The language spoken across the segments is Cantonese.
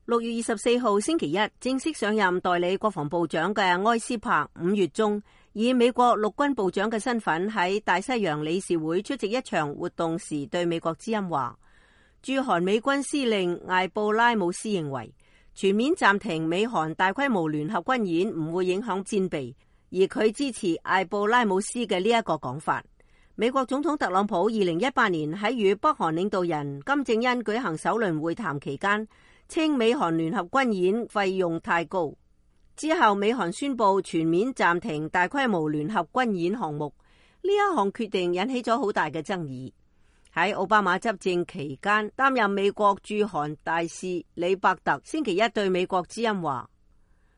6月24號星期一正式上任代理國防部長嘅埃斯珀5月中以美國陸軍部長嘅身份喺大西洋理事會出席一場活動時，對美國之音話，駐韓美軍司令艾布拉姆斯認為全面暫停美韓大規模聯合軍演唔會影響戰備，而佢支持艾布拉姆斯嘅呢一個講法。美國總統特朗普2018年喺與北韓領導人金正恩舉行首輪會談期間，稱美韓聯合軍演費用太高。之後美韓宣布全面暫停大規模聯合軍演項目，呢一項決定引起咗好大嘅爭議。喺奧巴馬執政期間擔任美國駐韓大使李伯特星期一對美國之音話，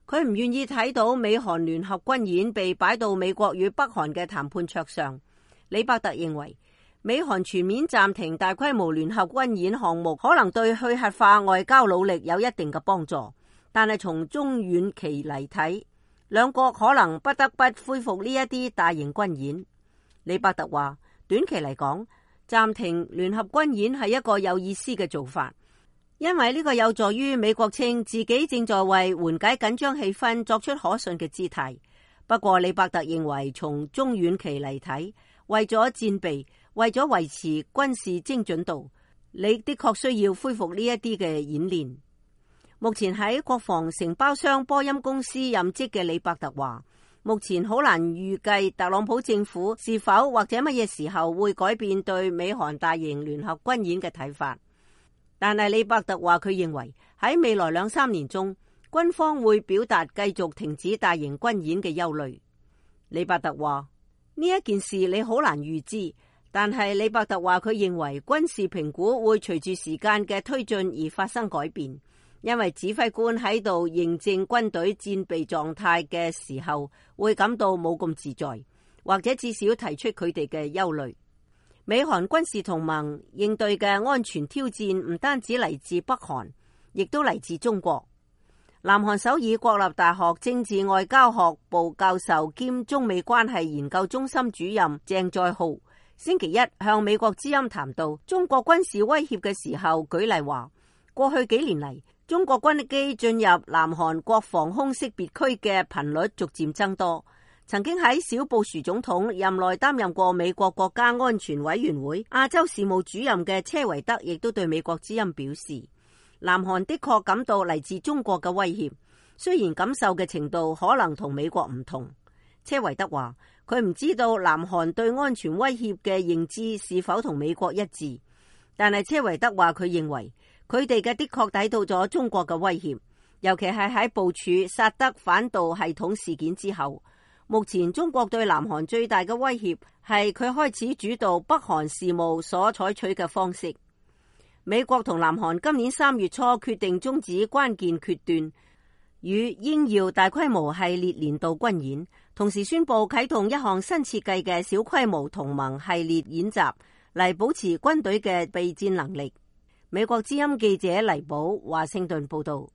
佢唔願意睇到美韓聯合軍演被擺到美國與北韓嘅談判桌上。李伯特認為美韓全面暫停大規模聯合軍演項目可能對去核化外交努力有一定嘅幫助，但係從中遠期嚟睇，兩國可能不得不恢復呢一啲大型軍演。李伯特話，短期嚟講，暫停聯合軍演係一個有意思嘅做法，因為呢個有助於美國稱自己正在為緩解緊張氣氛作出可信嘅姿態。不過李伯特認為從中遠期嚟睇，為咗戰備，為咗維持軍事精準度，你的確需要恢復呢一啲嘅演練。目前喺國防承包商波音公司任職嘅李伯特話，目前好難預計特朗普政府是否或者乜嘢時候會改變對美韓大型聯合軍演嘅睇法。但係李伯特話，佢認為喺未來2-3年中，軍方會表達繼續停止大型軍演嘅憂慮。李伯特話，呢一件事你好難預知，但係李伯特話佢認為軍事評估會隨住時間嘅推進而發生改變，因為指揮官喺度認證軍隊戰備狀態嘅時候會感到冇咁自在，或者至少提出佢哋嘅憂慮。美韓軍事同盟應對嘅安全挑戰唔單止嚟自北韓，亦都嚟自中國。南韓首爾國立大學政治外交學部教授兼中美關係研究中心主任鄭在浩星期一向美國之音談到中國軍事威脅嘅時候，舉例話，過去幾年嚟，中國軍機進入南韓國防空識別區嘅頻率逐漸增多。曾經喺小布殊總統任內擔任過美國國家安全委員會亞洲事務主任嘅車維德亦都對美國之音表示，南韓的確感到嚟自中國嘅威脅，雖然感受嘅程度可能同美國唔同。車維德話，佢唔知道南韓對安全威脅嘅認知是否同美國一致，但係車維德話佢認為佢哋嘅的確抵到咗中國嘅威脅，尤其係喺部署薩德反導系統事件之後。目前中國對南韓最大嘅威脅係佢開始主導北韓事務所採取嘅方式。美國同南韓今年3月初決定終止關鍵決斷與英耀大規模系列年度軍演，同時宣布啟動一項新設計嘅小規模同盟系列演習，嚟保持軍隊嘅備戰能力。美國之音記者黎寶華盛頓報道。